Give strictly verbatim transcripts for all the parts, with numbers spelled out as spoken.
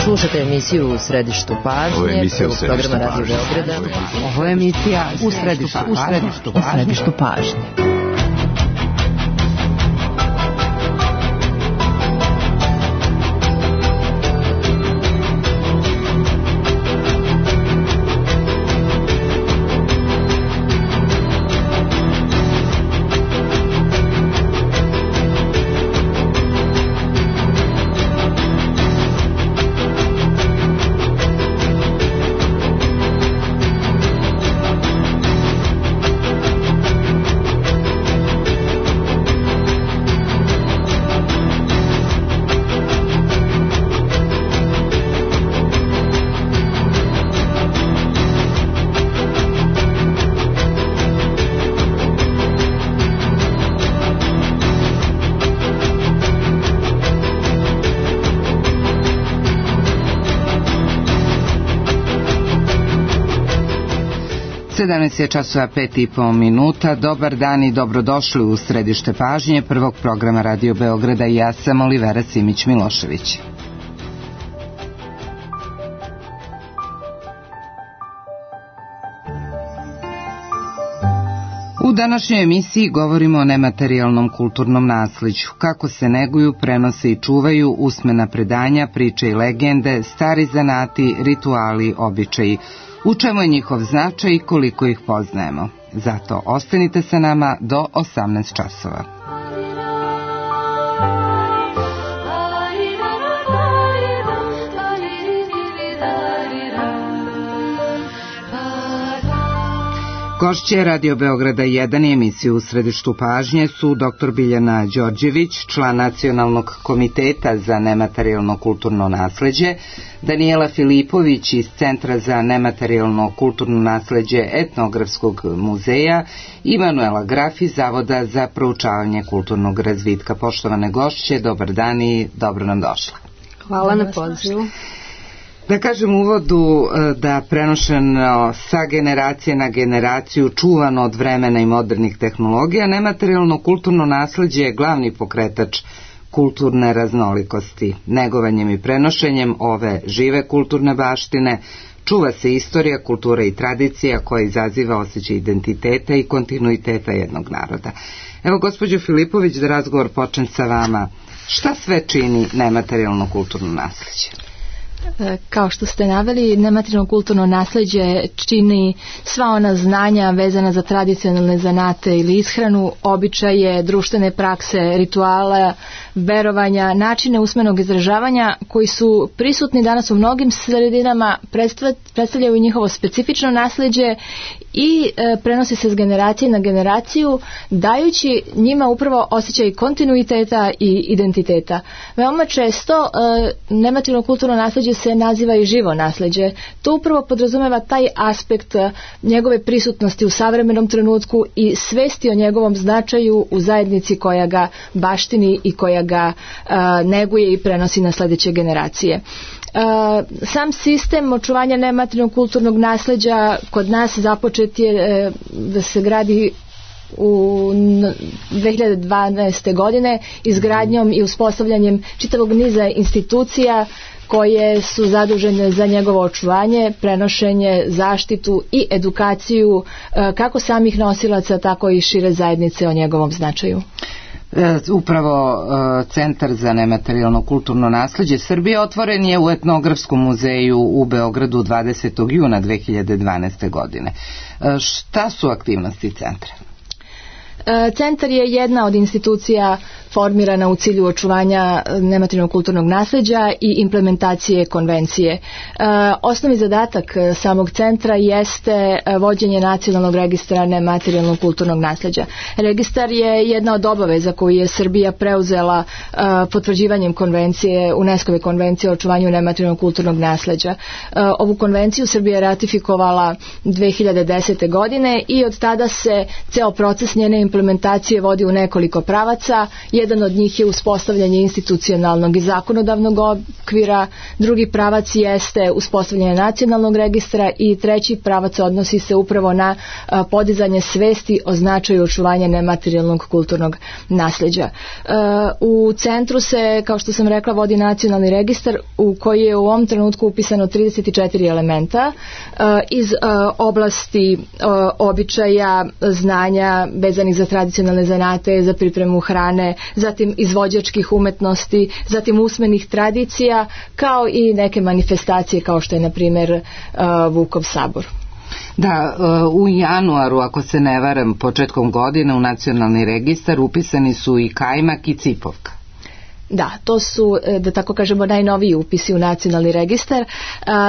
Slušate emisiju U središtu pažnje. Ovo je emisija U središtu pažnje. Ovo je emisija U središtu pažnje. U središtu pažnje. sedamnaest je časova pet i po minuta. Dobar dan i dobrodošli u središte pažnje prvog programa Radio Beograda. Ja sam Olivera Simić-Milošević. U današnjoj emisiji govorimo o nematerijalnom kulturnom naslijeđu, kako se neguju, prenose i čuvaju usmena predanja, priče i legende, stari zanati, rituali, običaji. U čemu je njihov značaj i koliko ih poznajemo. Zato ostanite sa nama do osamnaest časova. Gošće Radio Beograda jedan i emisiju U središtu pažnje su doktor Biljana Đorđević, član Nacionalnog komiteta za nematerijalno kulturno nasleđe, Danijela Filipović iz Centra za nematerijalno kulturno nasleđe Etnografskog muzeja i Manuela Graf iz Zavoda za proučavanje kulturnog razvitka. Poštovane gošće, dobar dan i dobro nam došla. Hvala na pozivu. Da kažem u uvodu da prenošeno sa generacije na generaciju, čuvano od vremena i modernih tehnologija, nematerijalno kulturno nasleđe je glavni pokretač kulturne raznolikosti. Negovanjem i prenošenjem ove žive kulturne baštine čuva se istorija, kultura i tradicija koja izaziva osjećaj identiteta i kontinuiteta jednog naroda. Evo, gospođo Filipović, da razgovor počne sa vama. Šta sve čini nematerijalno kulturno nasleđe? Kao što ste naveli, nematerijalno kulturno nasleđe čini sva ona znanja vezana za tradicionalne zanate ili ishranu, običaje, društvene prakse, rituala, verovanja, načine usmenog izražavanja koji su prisutni danas u mnogim sredinama, predstavljaju njihovo specifično nasleđe i e, prenosi se s generacije na generaciju, dajući njima upravo osjećaj kontinuiteta i identiteta. Veoma često e, nematerijalno kulturno nasleđe se naziva i živo nasleđe. To upravo podrazumeva taj aspekt njegove prisutnosti u savremenom trenutku i svesti o njegovom značaju u zajednici koja ga baštini i koja ga e, neguje i prenosi na sledeće generacije. Uh, sam sistem očuvanja nematerijalnog kulturnog nasleđa kod nas započet je uh, da se gradi u dve hiljade dvanaeste. godine izgradnjom i uspostavljanjem čitavog niza institucija koje su zadužene za njegovo očuvanje, prenošenje, zaštitu i edukaciju uh, kako samih nosilaca, tako i šire zajednice o njegovom značaju. Upravo Centar za nematerijalno kulturno nasleđe Srbije otvoren je u Etnografskom muzeju u Beogradu dvadesetog juna dve hiljade dvanaeste. godine. Šta su aktivnosti centra? Centar je jedna od institucija formirana u cilju očuvanja nematerijalnog kulturnog nasleđa i implementacije konvencije. E, osnovni zadatak samog centra jeste vođenje nacionalnog registra nematerijalnog kulturnog nasleđa. Registar je jedna od obaveza koju je Srbija preuzela e, potvrđivanjem konvencije, UNESCO-ve konvencije o očuvanju nematerijalnog kulturnog nasleđa. E, ovu konvenciju Srbija je ratifikovala dve hiljade desete. godine i od tada se ceo proces njene implementacije vodi u nekoliko pravaca. Jedan jedan od njih je uspostavljanje institucionalnog i zakonodavnog okvira, drugi pravac jeste uspostavljanje nacionalnog registra i treći pravac odnosi se upravo na a, podizanje svesti o značaju očuvanja nematerijalnog kulturnog nasljeđa. A, u centru se, kao što sam rekla, vodi nacionalni registar u koji je u ovom trenutku upisano trideset četiri elementa a, iz a, oblasti a, običaja, znanja vezanih za tradicionalne zanate, za pripremu hrane, zatim izvođačkih umetnosti, zatim usmenih tradicija, kao i neke manifestacije kao što je na primjer Vukov sabor. Da, u januaru, ako se ne varam, početkom godine u nacionalni registar upisani su i kajmak i cipovka. Da, to su, da tako kažemo, najnoviji upisi u nacionalni registar.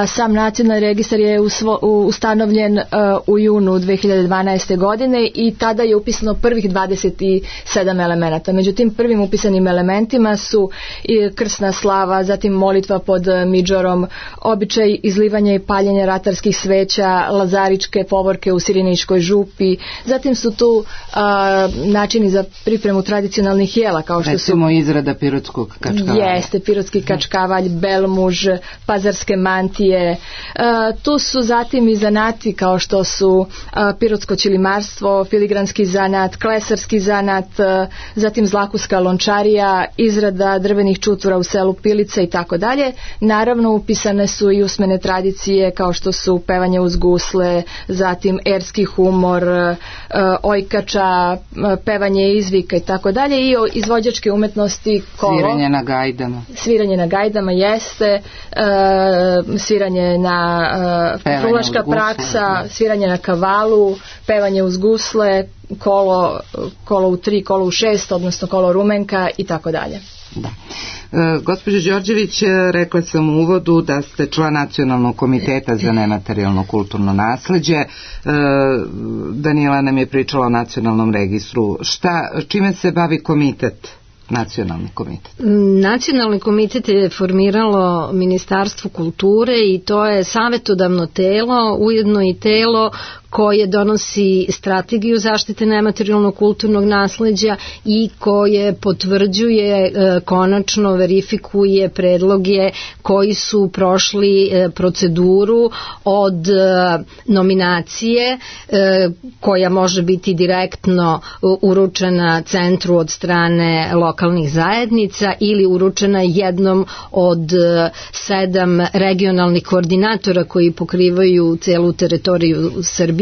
Sam nacionalni registar je usvo, ustanovljen u junu dve hiljade dvanaeste. godine i tada je upisano prvih dvadeset sedam elemenata. Međutim, prvim upisanim elementima su i krsna slava, zatim molitva pod midžorom, običaj izlivanja i paljenja ratarskih sveća, lazaričke povorke u Siriničkoj župi, zatim su tu a, načini za pripremu tradicionalnih jela, kao što recimo su izrada pirotskog kačkavalja. Jeste, pirotski kačkavalj, belmuž, pazarske mantije. E, tu su zatim i zanati kao što su a, pirotsko ćilimarstvo, filigranski zanat, klesarski zanat, a, zatim zlakuska lončarija, izrada drvenih čutvora u selu Pilica i tako dalje. Naravno, upisane su i usmene tradicije kao što su pevanje uz gusle, zatim erski humor, a, ojkača, a, pevanje izvika i tako dalje i izvođačke umetnosti kolo. Sviranje na gajdama. Sviranje na gajdama jeste, e, sviranje na e, frulaška praksa, sviranje na kavalu, pevanje uz gusle, kolo, kolo u tri, kolo u šest, odnosno kolo rumenka i tako dalje. Da. E, gospođo Đorđević, rekla sam u uvodu da ste član Nacionalnog komiteta za nematerijalno kulturno nasleđe. E, Danijela nam je pričala o nacionalnom registru. Šta, čime se bavi komitet? Nacionalni komitet. Nacionalni komitet je formiralo Ministarstvo kulture i to je savjetodavno telo, ujedno i telo koje donosi strategiju zaštite nematerijalnog kulturnog nasleđa i koje potvrđuje, e, konačno verifikuje predloge koji su prošli e, proceduru od e, nominacije e, koja može biti direktno uručena centru od strane lokalnih zajednica ili uručena jednom od e, sedam regionalnih koordinatora koji pokrivaju celu teritoriju Srbije,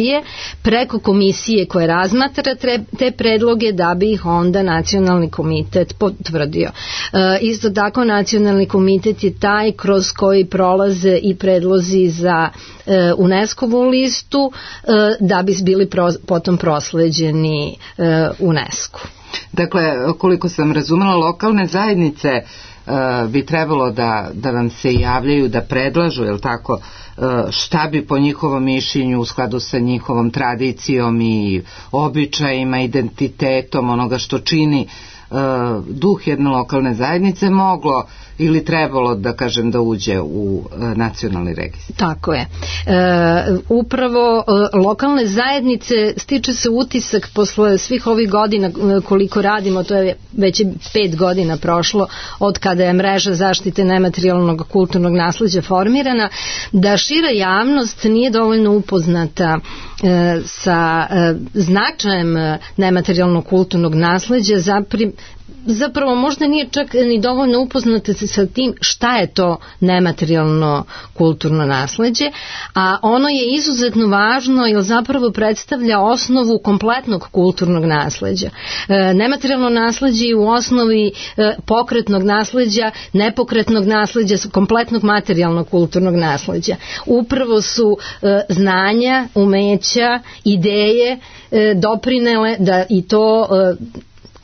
preko komisije koje razmatra te predloge da bi ih onda nacionalni komitet potvrdio. E, isto tako nacionalni komitet je taj kroz koji prolaze i predlozi za e, UNESCO-vu listu e, da bi bili pro, potom prosleđeni e, UNESCO. Dakle, koliko sam razumela, lokalne zajednice e, bi trebalo da, da vam se javljaju, da predlažu, je li tako, šta bi po njihovom mišljenju u skladu sa njihovom tradicijom i običajima, identitetom onoga što čini uh, duh jedne lokalne zajednice moglo ili trebalo, da kažem, da uđe u uh, nacionalni registar. Tako je. E, upravo e, lokalne zajednice, stiče se utisak posle svih ovih godina koliko radimo, to je već pet godina prošlo od kada je mreža zaštite nematerijalnog kulturnog nasleđa formirana, da šira javnost nije dovoljno upoznata e, sa e, značajem nematerijalnog kulturnog nasleđa, zapri, zapravo možda nije čak ni dovoljno upoznata sa tim šta je to nematerijalno kulturno nasleđe, a ono je izuzetno važno jer zapravo predstavlja osnovu kompletnog kulturnog nasleđa. E, nematerijalno nasleđe je u osnovi e, pokretnog nasleđa, nepokretnog nasleđa, kompletnog materijalnog kulturnog nasleđa. Upravo su e, znanja, umeća, ideje e, doprinele da i to e,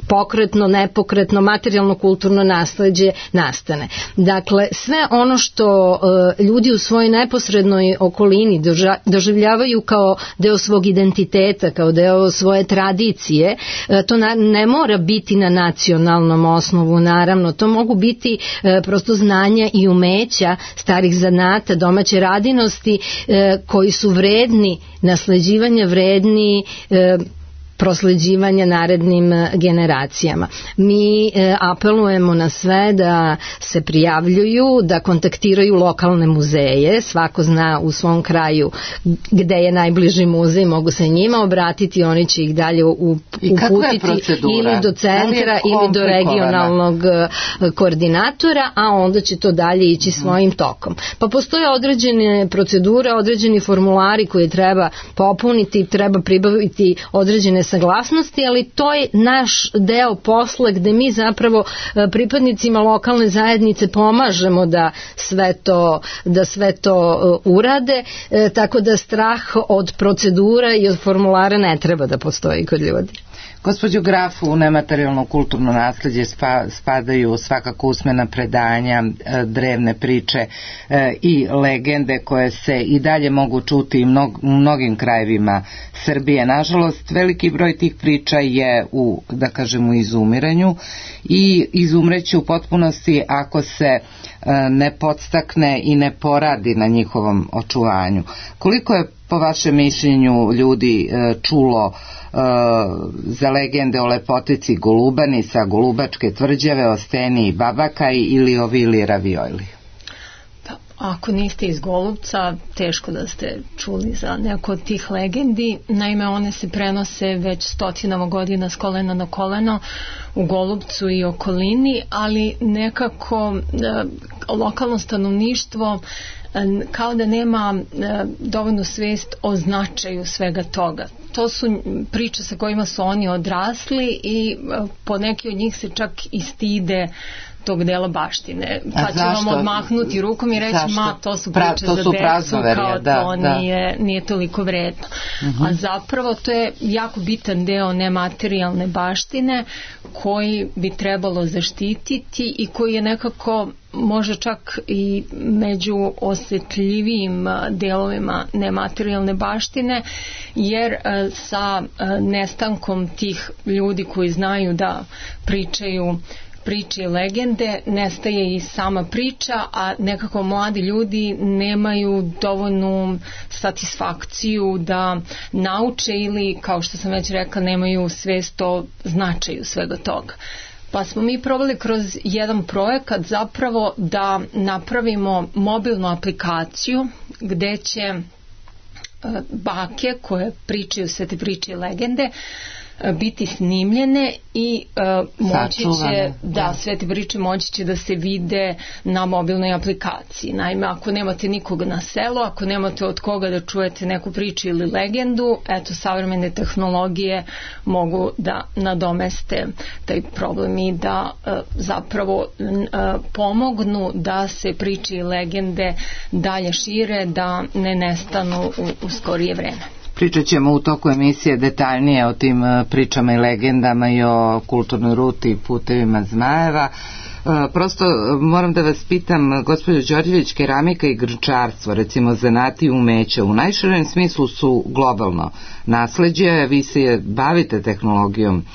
pokretno, nepokretno, materijalno kulturno nasleđe nastane. Dakle, sve ono što e, ljudi u svojoj neposrednoj okolini doža, doživljavaju kao deo svog identiteta, kao deo svoje tradicije, e, to na, ne mora biti na nacionalnom osnovu, naravno, to mogu biti e, prosto znanja i umeća starih zanata, domaće radinosti e, koji su vredni nasleđivanja, vredni e, prosleđivanja narednim generacijama. Mi e, apelujemo na sve da se prijavljuju, da kontaktiraju lokalne muzeje, svako zna u svom kraju gde je najbliži muzej, mogu se njima obratiti, oni će ih dalje uputiti ili do centra ili do regionalnog koordinatora, a onda će to dalje ići svojim tokom. Pa postoje određene procedure, određeni formulari koje treba popuniti, treba pribaviti određene saglasnosti, ali to je naš deo posla gde mi zapravo pripadnicima lokalne zajednice pomažemo da sve to, da sve to urade, tako da strah od procedura i od formulara ne treba da postoji kod ljudi. Gospođo Graf, u nematerijalno kulturno nasleđe spadaju svakako usmena predanja, drevne priče i legende koje se i dalje mogu čuti u mnogim krajevima Srbije. Nažalost, veliki broj tih priča je u, da kažemo, izumiranju i izumreće u potpunosti ako se ne podstakne i ne poradi na njihovom očuvanju. Koliko je po vašem mišljenju ljudi čulo uh, za legende o lepotici Golubanisa, Golubačke tvrđave, o Steni i Babakaj ili o Vili Ravioli? Pa, ako niste iz Golubca, teško da ste čuli za neko od tih legendi. Naime, one se prenose već stotinama godina s kolena na koleno u Golubcu i okolini, ali nekako e, lokalno stanovništvo kao da nema dovoljnu svest o značaju svega toga. To su priče sa kojima su oni odrasli i po neki od njih se čak i stide tog dela baštine. Pa će vam odmahnuti rukom i reći, zašto? Ma, to su priče pra, to za su decu, kao da, to da. Nije, nije toliko vredno. Uh-huh. A zapravo to je jako bitan deo nematerijalne baštine koji bi trebalo zaštititi i koji je nekako može čak i među osetljivijim delovima nematerijalne baštine, jer sa nestankom tih ljudi koji znaju da pričaju priče i legende, nestaje i sama priča, a nekako mladi ljudi nemaju dovoljnu satisfakciju da nauče ili, kao što sam već rekla, nemaju svest o značaju svega toga. Pa smo mi probali kroz jedan projekat zapravo da napravimo mobilnu aplikaciju gde će bake koje pričaju sve te priče i legende biti snimljene i uh, moći će da sve te priče moći će da se vide na mobilnoj aplikaciji. Naime, ako nemate nikoga na selu, ako nemate od koga da čujete neku priču ili legendu, eto, savremene tehnologije mogu da nadomeste taj problem i da uh, zapravo uh, pomognu da se priče i legende dalje šire, da ne nestanu u, u skorije vreme. Pričat ćemo u toku emisije detaljnije o tim pričama i legendama i o kulturnoj ruti i putevima Zmajeva. Prosto moram da vas pitam, gospođo Đorđević, keramika i grčarstvo, recimo zanati i umeća, u najširem smislu su globalno nasleđe, vi se bavite tehnologijom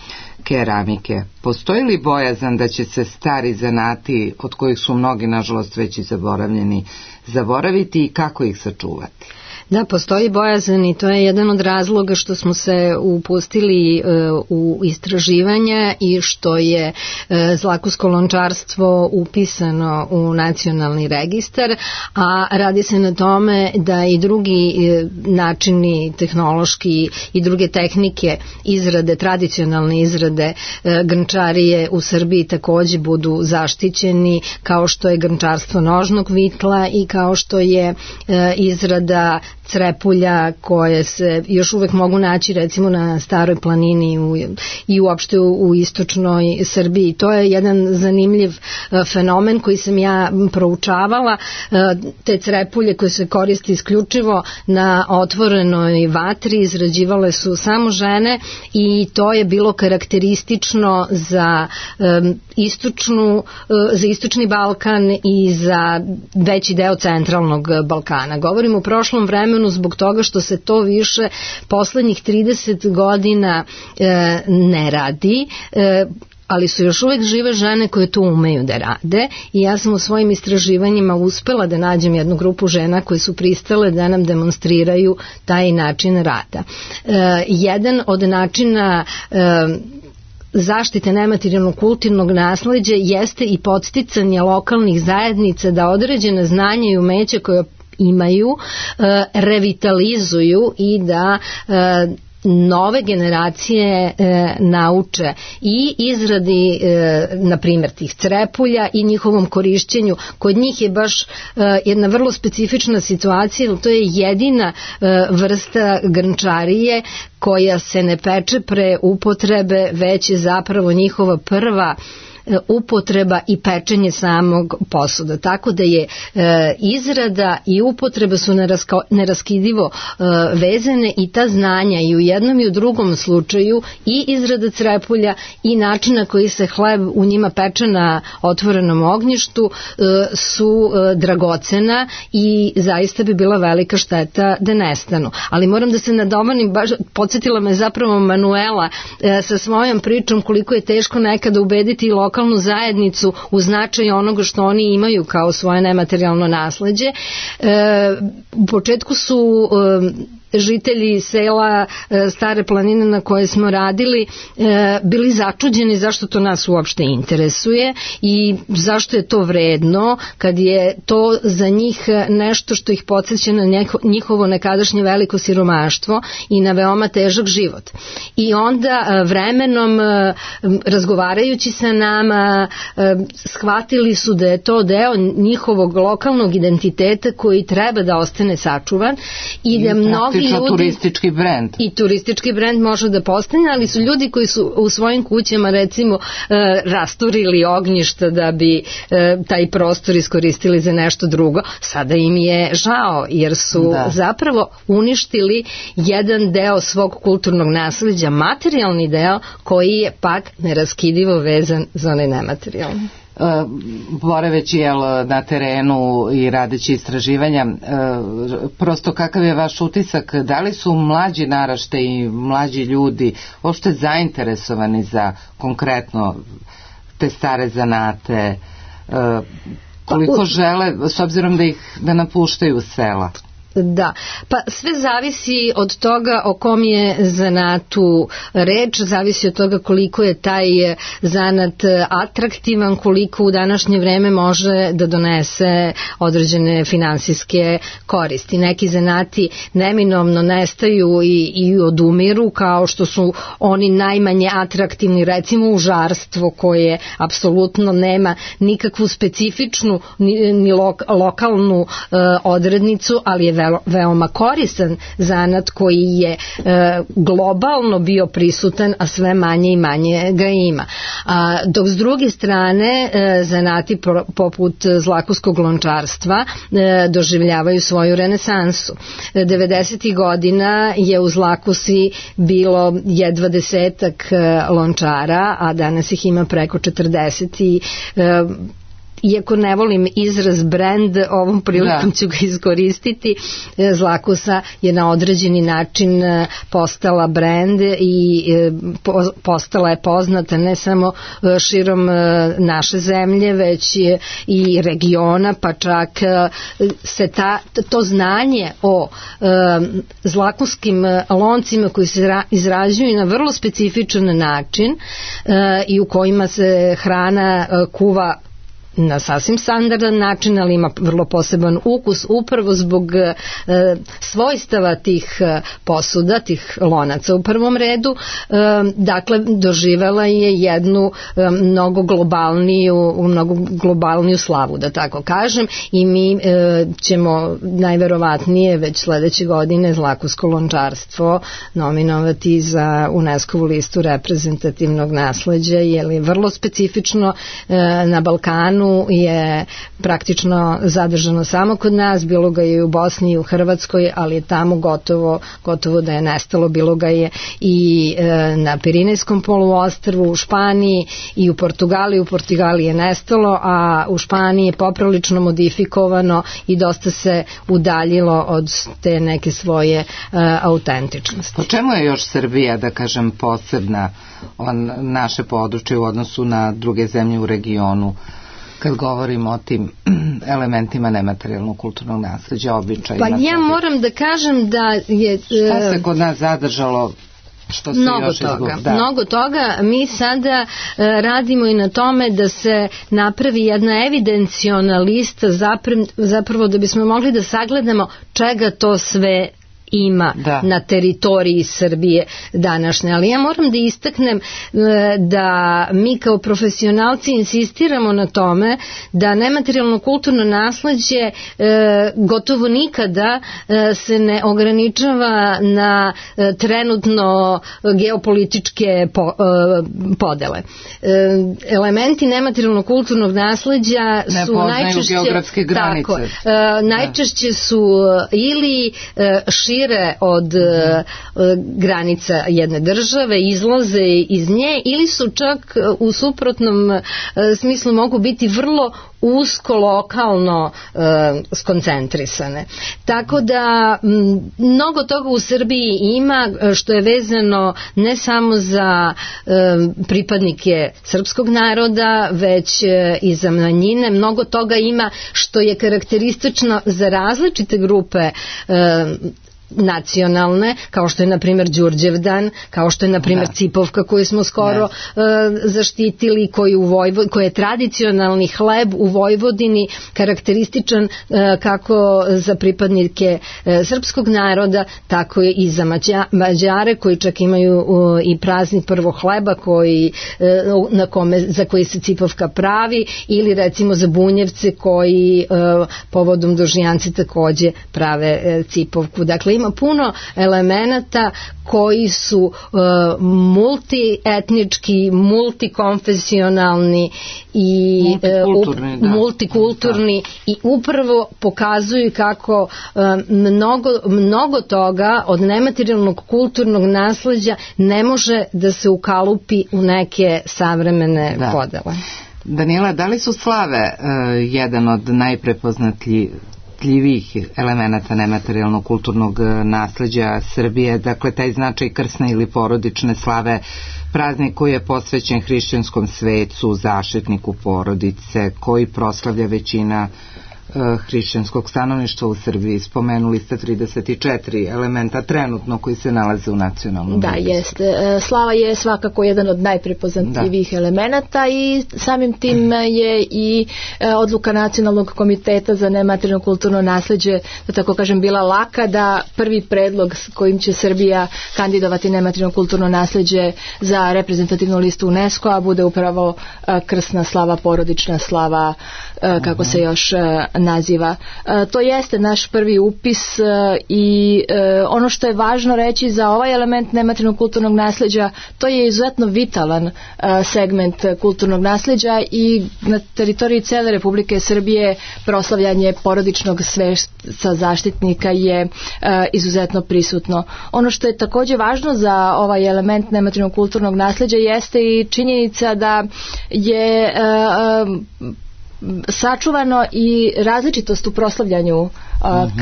keramike. Postoji li bojazan da će se stari zanati, od kojih su mnogi nažalost već i zaboravljeni, zaboraviti i kako ih sačuvati? Da, postoji bojazan i to je jedan od razloga što smo se upustili uh, u istraživanja i što je uh, zlakusko lončarstvo upisano u nacionalni registar, a radi se na tome da i drugi uh, načini tehnološki i druge tehnike izrade, tradicionalne izrade uh, grnčarije u Srbiji takođe budu zaštićeni, kao što je grnčarstvo nožnog vitla i kao što je uh, izrada crepulja koje se još uvek mogu naći recimo na Staroj planini u, i uopšte u, u istočnoj Srbiji. To je jedan zanimljiv uh, fenomen koji sam ja proučavala. Uh, te crepulje koje se koriste isključivo na otvorenoj vatri izrađivale su samo žene i to je bilo karakteristično za um, istočnu, uh, za istočni Balkan i za veći deo centralnog Balkana. Govorim o prošlom vremenu zbog toga što se to više poslednjih trideset godina e, ne radi. E, ali su još uvek žive žene koje to umeju da rade i ja sam u svojim istraživanjima uspela da nađem jednu grupu žena koje su pristale da nam demonstriraju taj način rada. E, jedan od načina e, zaštite nematerijalnog kulturnog nasleđa jeste i podsticanje lokalnih zajednica da određene znanja i umeća koje imaju e, revitalizuju i da e, nove generacije e, nauče i izradi e, na primjer tih crepulja i njihovom korišćenju. Kod njih je baš e, jedna vrlo specifična situacija, to je jedina e, vrsta grnčarije koja se ne peče pre upotrebe, već je zapravo njihova prva upotreba i pečenje samog posuda. Tako da je e, izrada i upotreba su nerasko, neraskidivo e, vezane i ta znanja i u jednom i u drugom slučaju i izrada crepulja i način na koji se hleb u njima peče na otvorenom ognjištu e, su e, dragocena i zaista bi bila velika šteta da nestanu. Ali moram da se nadomanim, baš podsjetila me zapravo Manuela e, sa svojom pričom koliko je teško nekada ubediti i lokalnu zajednicu u značaju onoga što oni imaju kao svoje nematerijalno nasleđe. E, u početku su e, žitelji sela e, Stare planine na koje smo radili e, bili začuđeni zašto to nas uopšte interesuje i zašto je to vredno kad je to za njih nešto što ih podsjeća na njihovo nekadašnje veliko siromaštvo i na veoma težak život. I onda e, vremenom e, razgovarajući sa nama e, shvatili su da je to deo njihovog lokalnog identiteta koji treba da ostane sačuvan i da mnogi ljudi, turistički brend. I turistički brend može da postane, ali su ljudi koji su u svojim kućama recimo e, rasturili ognjišta da bi e, taj prostor iskoristili za nešto drugo. Sada im je žao jer su da. zapravo uništili jedan deo svog kulturnog nasleđa, materijalni deo koji je pak neraskidivo vezan za onaj nematerijalni. Boreveći jel, na terenu i radeći istraživanja, prosto kakav je vaš utisak, da li su mlađi naraštaji i mlađi ljudi uopšte zainteresovani za konkretno te stare zanate, koliko žele, s obzirom da ih da napuštaju sela? Da, pa sve zavisi od toga o kom je zanatu reč, zavisi od toga koliko je taj zanat atraktivan, koliko u današnje vreme može da donese određene finansijske koristi. Neki zanati neminovno nestaju i, i odumiru, kao što su oni najmanje atraktivni, recimo užarstvo koje apsolutno nema nikakvu specifičnu ni, ni lok, lokalnu e, odrednicu, ali je veoma koristan zanat koji je e, globalno bio prisutan, a sve manje i manje ga ima. A, dok s druge strane e, zanati pro, poput zlakuskog lončarstva e, doživljavaju svoju renesansu. E, devedesetih godina je u Zlakusi bilo jedva desetak e, lončara, a danas ih ima preko četrdeset i e, iako ne volim izraz brand, ovom prilikom ću ga iskoristiti. Zlakusa je na određeni način postala brand i postala je poznata ne samo širom naše zemlje, već i regiona, pa čak se ta, to znanje o zlakuskim loncima koji se izrađuju na vrlo specifičan način i u kojima se hrana kuva na sasvim standardan način, ali ima vrlo poseban ukus upravo zbog e, svojstava tih e, posuda, tih lonaca u prvom redu. E, dakle, doživela je jednu e, mnogo globalniju, mnogo globalniju slavu, da tako kažem, i mi e, ćemo najverovatnije već sledeće godine zlakusko lončarstvo nominovati za UNESCO-vu listu reprezentativnog nasleđa, jer je vrlo specifično e, na Balkanu vremenu je praktično zadržano samo kod nas, bilo ga je i u Bosni i u Hrvatskoj, ali je tamo gotovo, gotovo da je nestalo, bilo ga je i e, na Pirinejskom poluostrvu, u Španiji i u Portugaliji, u Portugaliji je nestalo, a u Španiji je poprilično modifikovano i dosta se udaljilo od te neke svoje e, autentičnosti. Po čemu je još Srbija, da kažem, posebna on, naše područje u odnosu na druge zemlje u regionu, kad govorimo o tim elementima nematerijalnog kulturnog nasleđa, običajima? Pa ja moram da kažem da je... Šta se kod nas zadržalo? Što se mnogo još toga, izgub... da. mnogo toga. Mi sada e, radimo i na tome da se napravi jedna evidenciona lista zapravo, zapravo da bismo mogli da sagledamo čega to sve ima da. na teritoriji Srbije današnje. Ali ja moram da istaknem da mi kao profesionalci insistiramo na tome da nematerijalno kulturno nasleđe gotovo nikada se ne ograničava na trenutno geopolitičke podele. Elementi nematerijalnog kulturnog nasleđa su ne najčešće geografske granice. Tako, najčešće su ili šire od uh, granica jedne države, izlaze iz nje ili su čak u suprotnom uh, smislu mogu biti vrlo usko lokalno uh, skoncentrisane. Tako da m, mnogo toga u Srbiji ima što je vezano ne samo za uh, pripadnike srpskog naroda, već uh, i za manjine. Mnogo toga ima što je karakteristično za različite grupe uh, nacionalne, kao što je na primjer Đurđevdan, kao što je na primjer Cipovka koju smo skoro uh, zaštitili, koji, u Vojvo, koji je tradicionalni hleb u Vojvodini, karakterističan uh, kako za pripadnike uh, srpskog naroda, tako je i za Mađa, Mađare koji čak imaju uh, i praznik prvog hleba koji, uh, na kome, za koji se Cipovka pravi, ili recimo za Bunjevce koji uh, povodom Dožijanci takođe prave uh, Cipovku. Dakle, ima puno elemenata koji su uh, multietnički, multikonfesionalni i multikulturni, uh, up, multikulturni i upravo pokazuju kako uh, mnogo, mnogo toga od nematerijalnog kulturnog nasleđa ne može da se ukalupi u neke savremene da. podele. Daniela, da li su slave uh, jedan od najprepoznatljivijih elemenata nematerijalnog kulturnog nasleđa Srbije, dakle taj značaj krsne ili porodične slave, praznik koji je posvećen hrišćanskom svecu, zaštitniku porodice, koji proslavlja većina hrišćanskog stanovništva u Srbiji? Spomenuli ste trideset četiri elementa trenutno koji se nalaze u nacionalnom da, registru. Jeste. Slava je svakako jedan od najprepoznatljivijih elemenata i samim tim je i odluka Nacionalnog komiteta za nematerijalno kulturno nasleđe, da tako kažem, bila laka, da prvi predlog s kojim će Srbija kandidovati nematerijalno kulturno nasleđe za reprezentativnu listu UNESCO-a bude upravo krsna slava, porodična slava, kako se još naziva. E, to jeste naš prvi upis e, i e, ono što je važno reći za ovaj element nematerijalnog kulturnog nasleđa, to je izuzetno vitalan e, segment kulturnog nasleđa i na teritoriji cele Republike Srbije proslavljanje porodičnog svešca zaštitnika je e, izuzetno prisutno. Ono što je takođe važno za ovaj element nematerijalnog kulturnog nasleđa jeste i činjenica da je e, e, sačuvano i različitost u proslavljanju uh,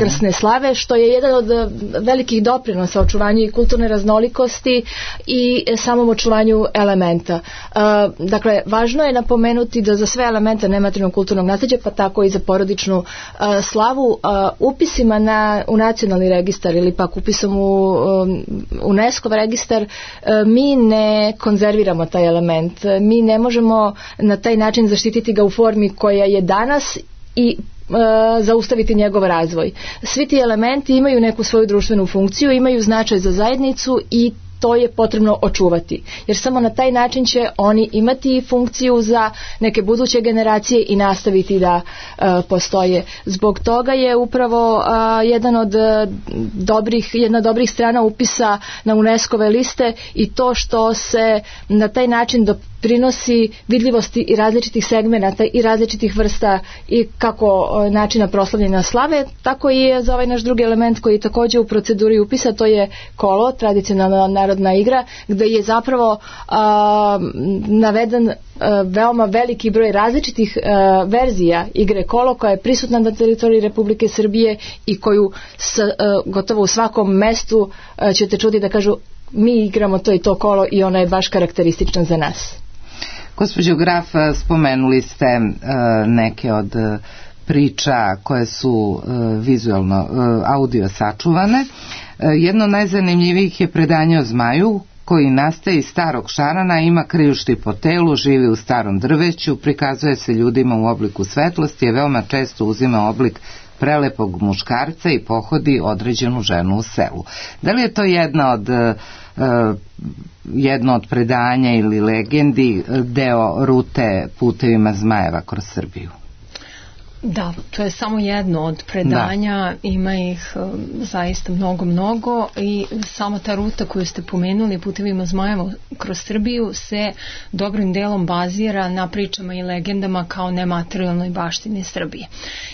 krsne slave, što je jedan od velikih doprinosa očuvanju i kulturne raznolikosti i samom očuvanju elementa. Uh, dakle, važno je napomenuti da za sve elemente nematerijalnog kulturnog nasleđa, pa tako i za porodičnu uh, slavu, uh, upisima na, u nacionalni registar ili pak upisom u um, UNESCO registar, uh, mi ne konzerviramo taj element. Mi ne možemo na taj način zaštititi ga u formi koja je danas i e, zaustaviti njegov razvoj. Svi ti elementi imaju neku svoju društvenu funkciju, imaju značaj za zajednicu i to je potrebno očuvati. Jer samo na taj način će oni imati funkciju za neke buduće generacije i nastaviti da uh, postoje. Zbog toga je upravo uh, jedan od uh, dobrih, jedna od dobrih strana upisa na UNESCO-ve liste i to što se na taj način do doprinosi vidljivosti i različitih segmenata i različitih vrsta i kako načina proslavljanja slave, tako i je za ovaj naš drugi element koji je takođe u proceduri upisa, to je kolo, tradicionalna narodna igra, gde je zapravo a, naveden a, veoma veliki broj različitih a, verzija igre kolo koja je prisutna na teritoriji Republike Srbije i koju s, a, gotovo u svakom mestu a, ćete čuti da kažu mi igramo to i to kolo i ono je baš karakteristično za nas. Gospođo Graf, spomenuli ste uh, neke od uh, priča koje su uh, vizualno, uh, audio sačuvane. Uh, jedno od najzanimljivijih je predanje o zmaju koji nastaje iz starog šarana, ima krijušti po telu, živi u starom drveću, prikazuje se ljudima u obliku svetlosti, je veoma često uzima oblik prelepog muškarca i pohodi određenu ženu u selu. Da li je to jedna od uh, jedno od predanja ili legendi, deo rute putevima zmajeva kroz Srbiju? Da, to je samo jedno od predanja, da. Ima ih um, zaista mnogo, mnogo i samo ta ruta koju ste pomenuli, putevima zmajeva kroz Srbiju, se dobrim delom bazira na pričama i legendama kao nematerijalnoj baštini Srbije.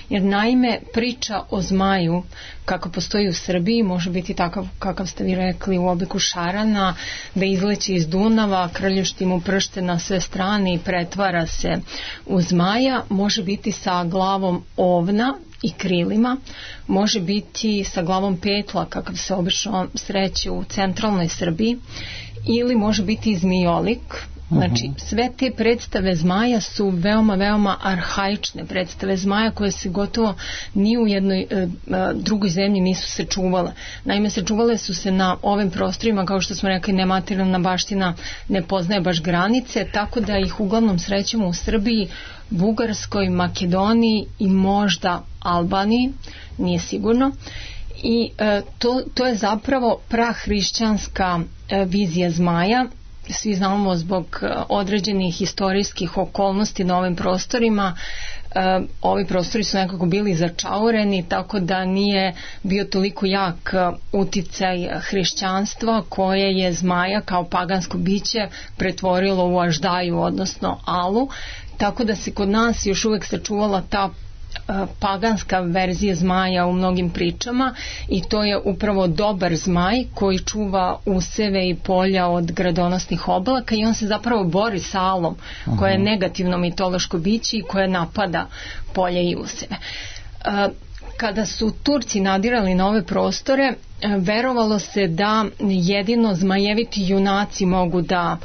Jer naime, priča o zmaju kako postoji u Srbiji može biti takav kakav ste vi rekli u obliku šarana, da izleće iz Dunava, krljušti mu pršte na sve strane i pretvara se u zmaja, može biti sa glavom ovna i krilima, može biti sa glavom petla kakav se obično sreće u centralnoj Srbiji, ili može biti zmijolik. Znači, sve te predstave zmaja su veoma, veoma arhaične predstave zmaja koje se gotovo ni u jednoj e, drugoj zemlji nisu se čuvale. Naime, se čuvale su se na ovim prostorima, kao što smo rekli, nematerijalna baština ne poznaje baš granice, tako da ih uglavnom srećemo u Srbiji, Bugarskoj, Makedoniji i možda Albaniji, nije sigurno. I e, to, to je zapravo prahrišćanska e, vizija zmaja. Svi znamo zbog određenih istorijskih okolnosti na ovim prostorima, e, ovi prostori su nekako bili začaureni, tako da nije bio toliko jak uticaj hrišćanstva koje je zmaja kao pagansko biće pretvorilo u aždaju, odnosno alu, tako da se kod nas još uvek sačuvala ta paganska verzija zmaja u mnogim pričama i to je upravo dobar zmaj koji čuva useve i polja od gradonosnih oblaka i on se zapravo bori sa alom koja je negativno mitološko biće i koja napada polje i useve. Kada su Turci nadirali na ove prostore, verovalo se da jedino zmajeviti junaci mogu da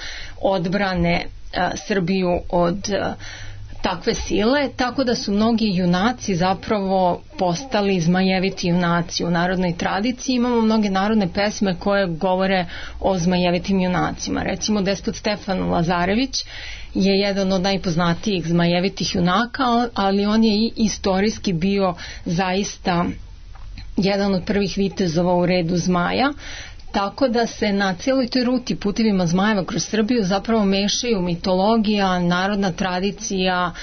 odbrane Srbiju od takve sile, tako da su mnogi junaci zapravo postali zmajeviti junaci u narodnoj tradiciji. Imamo mnoge narodne pesme koje govore o zmajevitim junacima. Recimo Despot Stefan Lazarević je jedan od najpoznatijih zmajevitih junaka, ali on je i istorijski bio zaista jedan od prvih vitezova u redu zmaja. Tako da se na cijeloj toj ruti putevima zmajeva kroz Srbiju zapravo mešaju mitologija, narodna tradicija,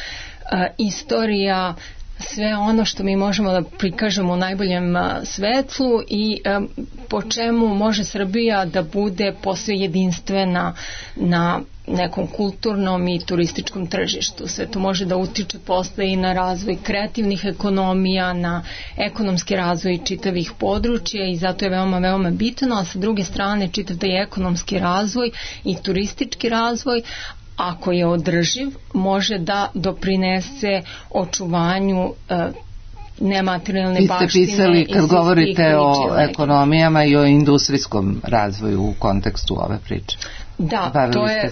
e, istorija, sve ono što mi možemo da prikažemo u najboljem svetlu i e, po čemu može Srbija da bude posve jedinstvena na nekom kulturnom i turističkom tržištu. Sve to može da utiče posle i na razvoj kreativnih ekonomija, na ekonomski razvoj čitavih područja i zato je veoma, veoma bitno, a sa druge strane čitav taj ekonomski razvoj i turistički razvoj, ako je održiv, može da doprinese očuvanju e, nematerijalne baštine. Vi ste pisali, kad govorite o ekonomijama i o industrijskom razvoju u kontekstu ove priče. Da, Bavili to je,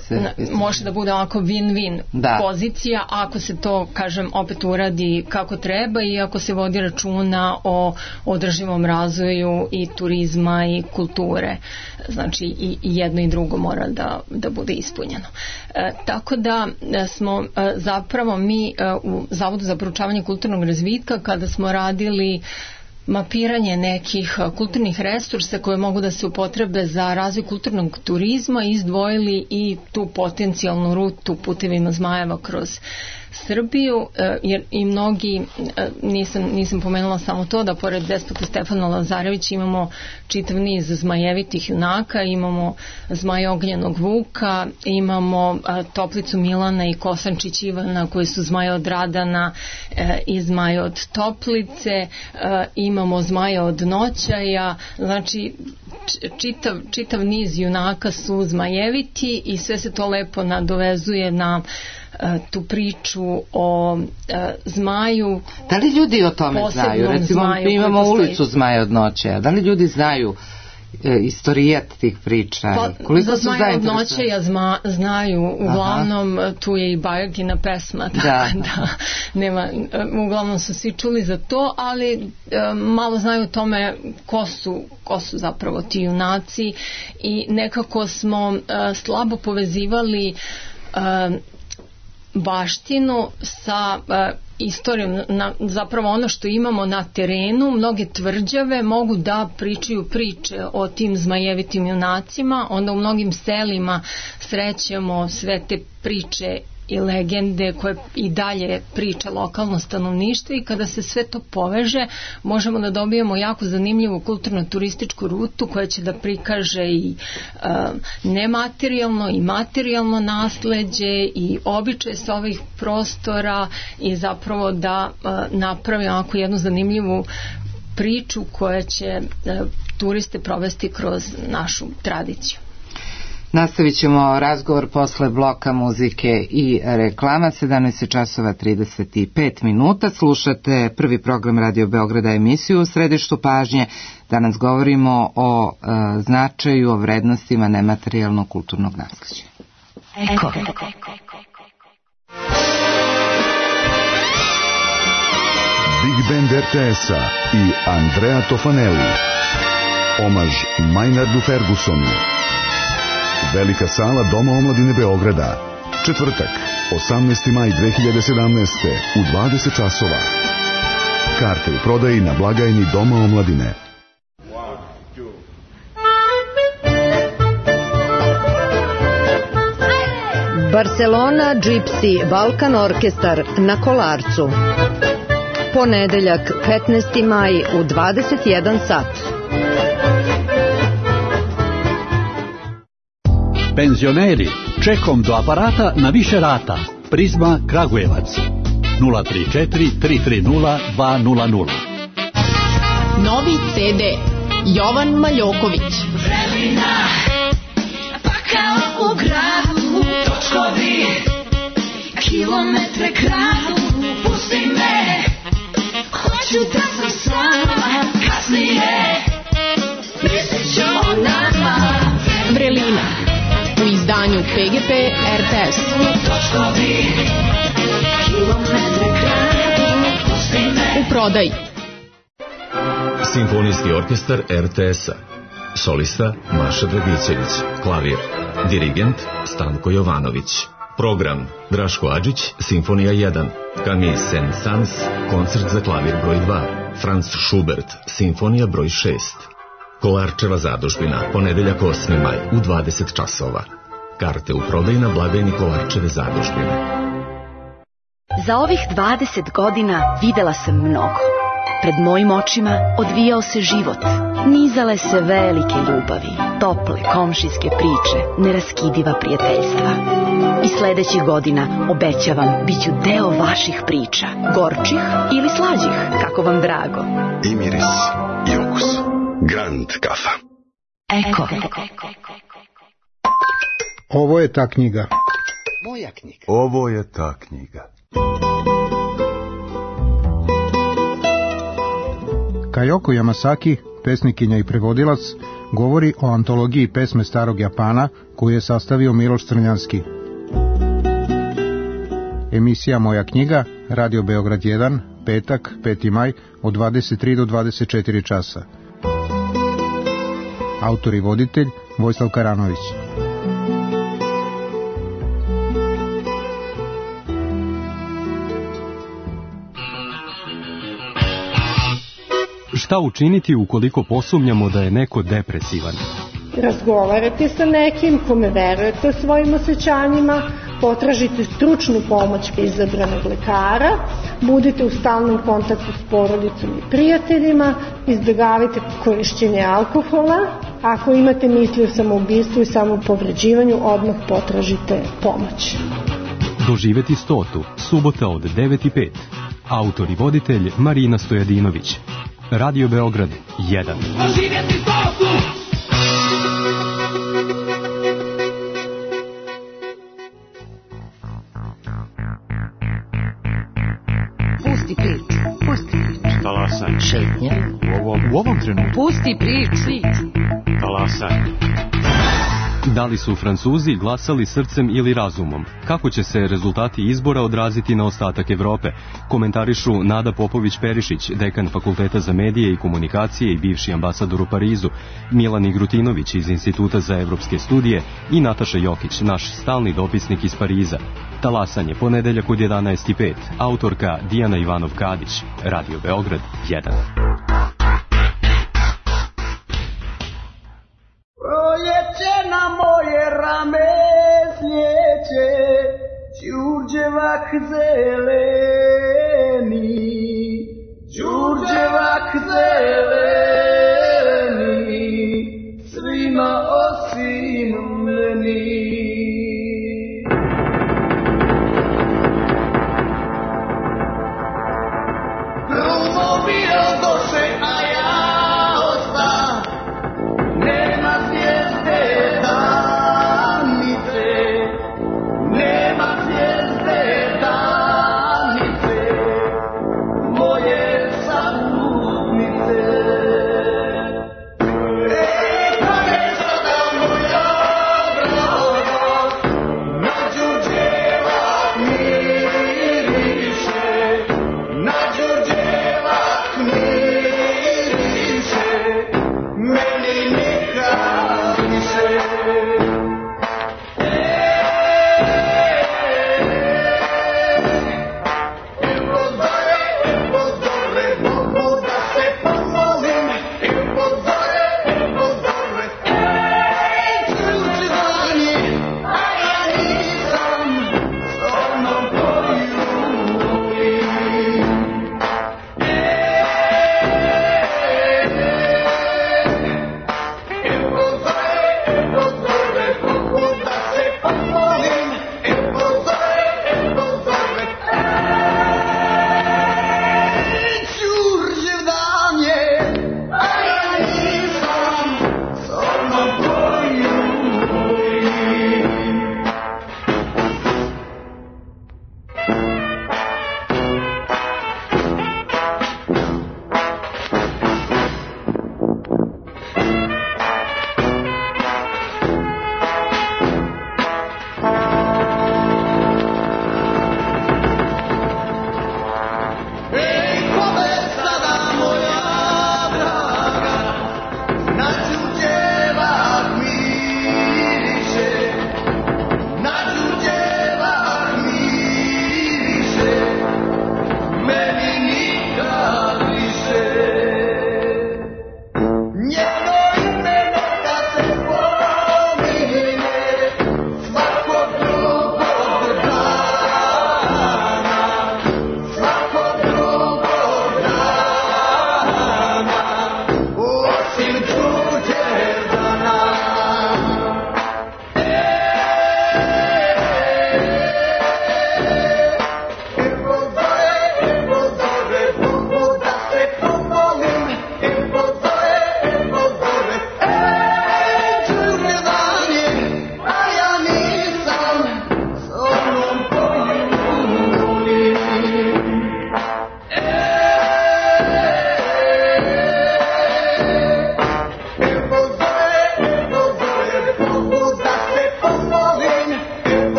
može da bude ovako win-win da. pozicija ako se to, kažem, opet uradi kako treba i ako se vodi računa o održivom razvoju i turizma i kulture. Znači i jedno i drugo mora da, da bude ispunjeno. E, tako da smo e, zapravo mi e, u Zavodu za proučavanje kulturnog razvitka kada smo radili mapiranje nekih kulturnih resursa koje mogu da se upotrebe za razvoj kulturnog turizma, izdvojili i tu potencijalnu rutu putevima zmajeva kroz Srbiju, jer i mnogi, nisam, nisam pomenula samo to, da pored Despota Stefana Lazarevića imamo čitav niz zmajevitih junaka, imamo Zmaja Ognjenog Vuka, imamo Toplicu Milana i Kosančić Ivana koji su Zmaja od Radana i Zmaja od Toplice, imamo Zmaja od Noćaja, znači čitav, čitav niz junaka su zmajeviti i sve se to lepo nadovezuje na tu priču o e, zmaju. Da li ljudi o tome znaju? Recimo, mi imamo ulicu Zmaja od Noćaja. Da li ljudi znaju e, istorijat tih priča? Pa, koliko za Zmaja od Noćaja zma, znaju. Uglavnom, aha, tu je i Bajagina pesma. Da. da nema, uglavnom su svi čuli za to, ali e, malo znaju o tome ko su, ko su zapravo ti junaci i nekako smo e, slabo povezivali e, baštinu sa uh, istorijom, na, zapravo ono što imamo na terenu. Mnoge tvrđave mogu da pričaju priče o tim zmajevitim junacima, onda u mnogim selima srećemo sve te priče i legende koje i dalje priča lokalno stanovništvo i kada se sve to poveže možemo da dobijemo jako zanimljivu kulturno-turističku rutu koja će da prikaže i e, nematerijalno i materijalno nasleđe i običaje sa ovih prostora i zapravo da e, napravi onako jednu zanimljivu priču koja će e, turiste provesti kroz našu tradiciju. Nastavit ćemo razgovor posle bloka muzike i reklama. sedamnaest časova trideset pet minuta. Slušate prvi program Radio Beograda, emisiju U središtu pažnje. Danas govorimo o e, značaju, o vrednostima nematerijalnog kulturnog nasleđa. Eko. Big Band er te es-a i Andrea Tofanelli. Omaž Maynardu Fergusonu. Velika sala Doma omladine Beograda. Četvrtak, osamnaesti maj dve hiljade sedamnaeste. u dvadeset časova. Karte u prodaji na blagajni Doma omladine. Barcelona Gypsy Balkan Orkestar na Kolarcu. Ponedeljak, petnaesti maj u dvadeset jedan sat. Penzioneri, čekom do aparata na više rata. Prizma Kragujevac. nula tri četiri tri tri nula dva nula nula. Novi ce de Jovan Maljoković. Vremena, pa kao u gradu, točkovi, kilometre kradu, pusti me, hoću da sam s vama, kasnije, mislit ću o nama. Vrelina, u izdanju pe ge pe er te es. Točkovi, kilometre kradu, pusti me. U prodaji. Simfonijski orkestar er te es-a. Solista Maša Dragićević. Klavir. Dirigent Stanko Jovanović. Program Draško Adžić, Simfonija jedan. Camille Saint-Saëns, koncert za klavir broj dva. Franz Schubert, Simfonija broj šest. Kolarčeva zadužbina, ponedeljak osmi maj u dvadeset časova. Karte u prodaji na blagajni Kolarčeve zadužbine. Za ovih dvadeset godina videla sam mnogo. Pred mojim očima odvijao se život. Nizale se velike ljubavi, tople komšijske priče, neraskidiva prijateljstva. I sledećih godina, obećavam, bit ću deo vaših priča, gorčih ili slađih, kako vam drago. I miris, i okus. Grand kafa. Eko. Ovo je ta knjiga. Moja knjiga. Ovo je ta knjiga. Kajoko Yamasaki, pesnikinja i prevodilac, govori o antologiji pesme starog Japana koju je sastavio Miloš Crnjanski. Emisija Moja knjiga, Radio Beograd jedan, petak, peti maj, od dvadeset tri do dvadeset četiri časa. Autor i voditelj Vojislav Karanović. Šta učiniti ukoliko posumnjamo da je neko depresivan? Razgovarajte sa nekim kome verujete svojim osjećanjima, potražite stručnu pomoć kod izabranog lekara, budite u stalnom kontaktu s porodicom i prijateljima, izbjegavajte korišćenje alkohola. Ako imate misli o samoubistvu i samopovređivanju, odmah potražite pomoć. Doživeti stotu, subota od devet i pet. Autor i voditelj Marina Stojadinović. Radio Beograd jedan. Doživjeti stotu! Pusti priču, pusti priču. Talasaj. Šetnja. U ovom, u ovom trenutku. Pusti priču. Talasaj. Da li su Francuzi glasali srcem ili razumom? Kako će se rezultati izbora odraziti na ostatak Evrope? Komentarišu Nada Popović-Perišić, dekan Fakulteta za medije i komunikacije i bivši ambasador u Parizu, Milan Igrutinović iz Instituta za evropske studije i Nataša Jokić, naš stalni dopisnik iz Pariza. Talasanje, ponedeljak od jedanaest i pet. Autorka Dijana Ivanov-Kadić. Radio Beograd jedan. Proljeće na moje rame slijeće, đurđevak zeleni, đurđevak zeleni, svima osim meni. Grubo bio doše, a ja osta, nema zvijezde danice, nema zvijezde danice, moje sapunice.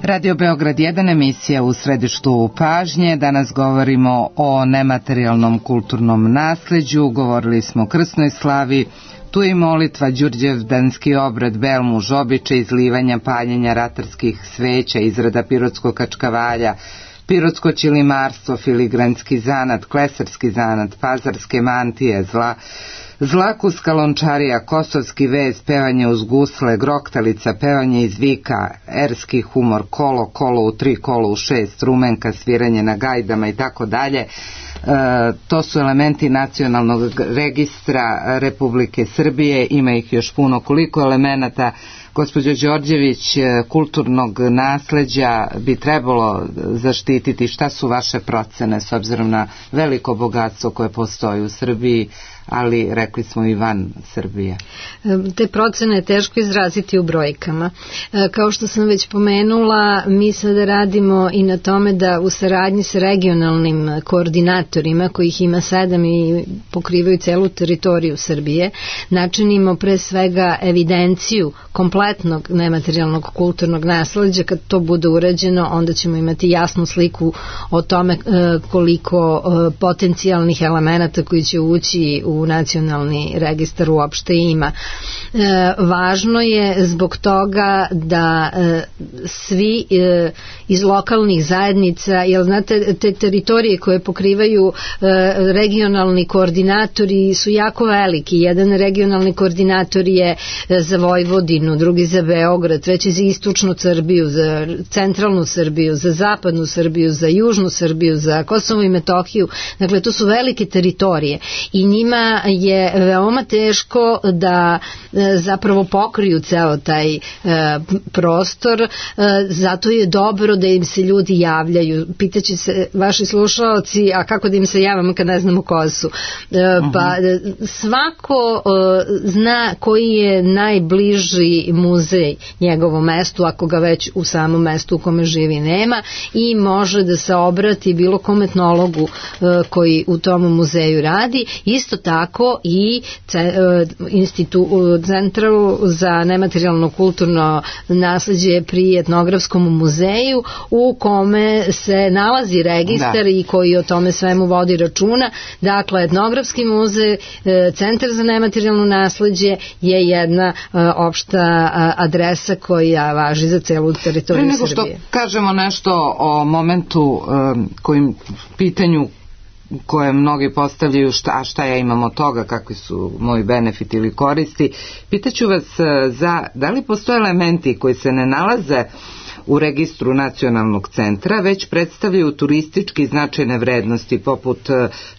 Radio Beograd jedan, emisija u središtu pažnje. Danas govorimo o nematerijalnom kulturnom nasleđu, govorili smo o krsnoj slavi, tu je molitva, đurđevdanski obred, belmuž, običaj izlivanja, paljenja ratarskih sveća, izrada pirotskog kačkavalja, pirotsko ćilimarstvo, filigranski zanat, klesarski zanat, pazarske mantije, zla, zlakuska lončarija, kosovski vez, pevanje uz gusle, groktalica, pevanje iz vika, erski humor, kolo, kolo u tri, kolo u šest, rumenka, sviranje na gajdama i tako dalje. To su elementi nacionalnog registra Republike Srbije, ima ih još puno. Koliko elemenata, gospođo Đorđević, kulturnog nasleđa bi trebalo zaštititi? Šta su vaše procene s obzirom na veliko bogatstvo koje postoji u Srbiji, ali rekli smo i van Srbije? Te procene je teško izraziti u brojkama. Kao što sam već pomenula, mi sada radimo i na tome da u saradnji sa regionalnim koordinatorima, kojih ima sedam i pokrivaju celu teritoriju Srbije, načinimo pre svega evidenciju kompletnog nematerijalnog kulturnog nasleđa. Kad to bude urađeno, onda ćemo imati jasnu sliku o tome koliko potencijalnih elemenata koji će ući u nacionalni registar uopšte ima. E, važno je zbog toga da e, svi e, iz lokalnih zajednica, jer znate, te teritorije koje pokrivaju e, regionalni koordinatori su jako veliki. Jedan regionalni koordinator je za Vojvodinu, drugi za Beograd, treći za istočnu Srbiju, za centralnu Srbiju, za zapadnu Srbiju, za južnu Srbiju, za Kosovo i Metohiju. Dakle, to su velike teritorije i njima je veoma teško da e, zapravo pokriju ceo taj e, prostor, e, zato je dobro da im se ljudi javljaju. Pitaće se vaši slušalci, a kako da im se javamo kad ne znamo ko su? E, uh-huh. Pa svako e, zna koji je najbliži muzej njegovom mestu, ako ga već u samom mestu u kome živi nema, i može da se obrati bilo kom etnologu e, koji u tom muzeju radi. Isto tako i institu, Centru za nematerijalno kulturno nasleđe pri etnografskom muzeju, u kome se nalazi registar da. I koji o tome svemu vodi računa. Dakle, etnografski muzej, Centar za nematerijalno nasleđe je jedna opšta adresa koja važi za celu teritoriju Srbije. Pre nego što kažemo nešto o momentu kojim pitanju koje mnogi postavljaju, šta, a šta ja imam od toga, kakvi su moji benefiti ili koristi, pitaću vas za, da li postoje elementi koji se ne nalaze u registru nacionalnog centra, već predstavljaju turistički značajne vrednosti, poput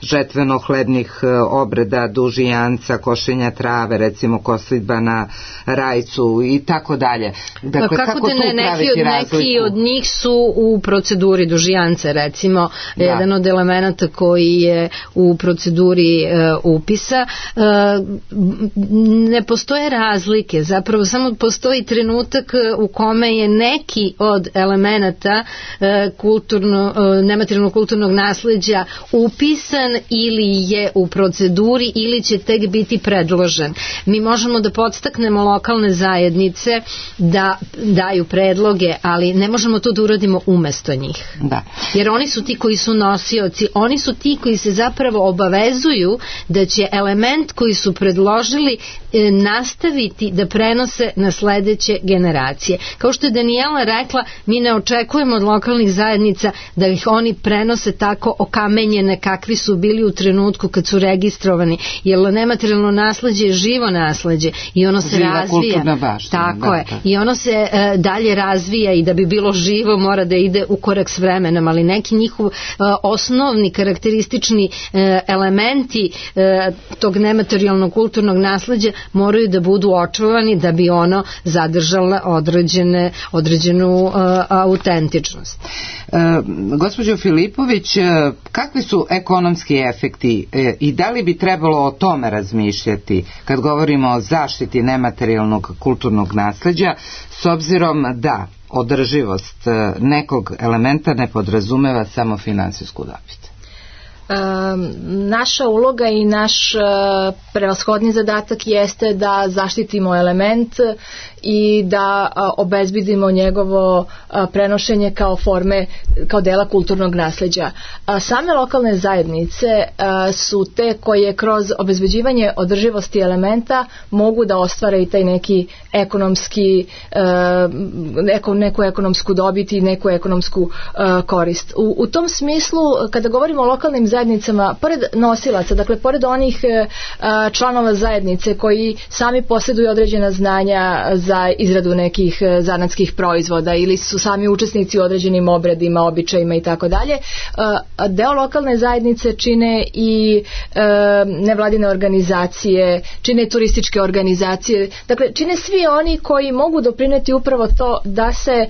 žetveno-hlednih obreda, dužijanca, košenja trave, recimo koslidba na rajcu i tako dalje. Dakle, kako, kako da ne, neki, od, neki od njih su u proceduri dužijance, recimo, da. Jedan od elemenata koji je u proceduri e, upisa. E, ne postoje razlike, zapravo samo postoji trenutak u kome je neki od elemenata e, kulturno, e, nematerijalnog kulturnog nasleđa upisan ili je u proceduri ili će tek biti predložen. Mi možemo da podstaknemo lokalne zajednice da daju predloge, ali ne možemo to da uradimo umesto njih. Da. Jer oni su ti koji su nosioci, oni su ti koji se zapravo obavezuju da će element koji su predložili e, nastaviti da prenose na sledeće generacije. Kao što je Danijela rekla, mi ne očekujemo od lokalnih zajednica da ih oni prenose tako okamenjene kakvi su bili u trenutku kad su registrovani, jer nematerijalno nasleđe je živo nasleđe i ono se Živa razvija. Baština, tako da, je. Da. I ono se e, dalje razvija i da bi bilo živo mora da ide u korak s vremenom, ali neki njihov e, osnovni karakteristični e, elementi e, tog nematerijalnog kulturnog nasleđa moraju da budu očuvani da bi ono zadržalo određene, određenu e, autentičnost. E, gospođo Filipović, kakvi su ekonomski efekti e, i da li bi trebalo o tome razmišljati kad govorimo o zaštiti nematerijalnog kulturnog nasleđa, s obzirom da održivost nekog elementa ne podrazumeva samo finansijsku dobit? Naša uloga i naš prevashodni zadatak jeste da zaštitimo element i da obezbedimo njegovo prenošenje kao forme, kao dela kulturnog nasleđa. Same lokalne zajednice su te koje kroz obezbeđivanje održivosti elementa mogu da ostvare i taj neki ekonomski, neku, neku ekonomsku dobit i neku ekonomsku korist. U, u tom smislu, kada govorimo o lokalnim zajednicama, pored nosilaca, dakle pored onih članova zajednice koji sami posjeduju određena znanja za izradu nekih zanatskih proizvoda ili su sami učesnici u određenim obredima, običajima i tako dalje, deo lokalne zajednice čine i nevladine organizacije, čine turističke organizacije, dakle čine svi oni koji mogu doprineti upravo to da se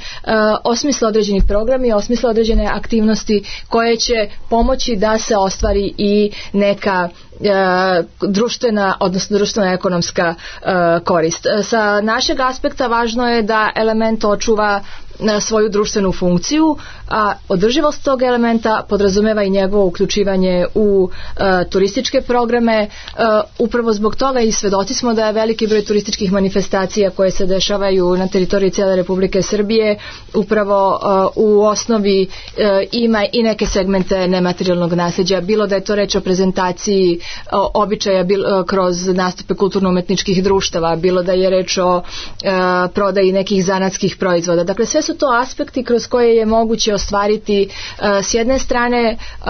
osmisle određeni programi, osmisle određene aktivnosti koje će pomoći da se ostvari i neka društvena, odnosno društvena ekonomska korist. Sa našeg aspekta važno je da element očuva svoju društvenu funkciju, a održivost tog elementa podrazumeva i njegovo uključivanje u e, turističke programe. E, upravo zbog toga i svedoci smo da je veliki broj turističkih manifestacija koje se dešavaju na teritoriji cijele Republike Srbije upravo e, u osnovi e, ima i neke segmente nematerijalnog nasljeđa, bilo da je to reč o prezentaciji o, običaja bilo, kroz nastupe kulturno-umetničkih društava, bilo da je reč o e, prodaji nekih zanatskih proizvoda. Dakle, sve su to aspekti kroz koje je moguće ostvariti uh, s jedne strane uh,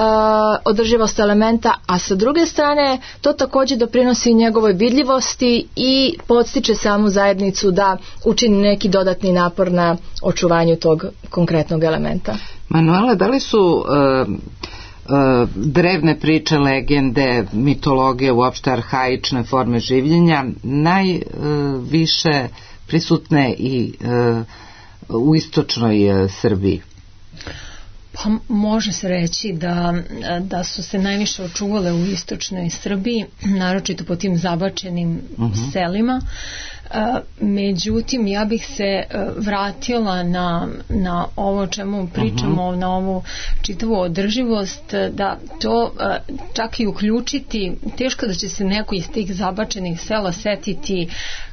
održivost elementa, a sa druge strane to također doprinosi njegovoj vidljivosti i podstiče samu zajednicu da učini neki dodatni napor na očuvanju tog konkretnog elementa. Manuela, da li su uh, uh, drevne priče, legende, mitologije, uopšte arhaične forme življenja najviše uh, prisutne i uh, u istočnoj uh, Srbiji? Pa može se reći da, da su se najviše očuvale u istočnoj Srbiji, naročito po tim zabačenim uh-huh. selima. Međutim, ja bih se vratila na, na ovo čemu pričamo, uh-huh. na ovu čitavu održivost, da to čak i uključiti, teško da će se neko iz tih zabačenih sela setiti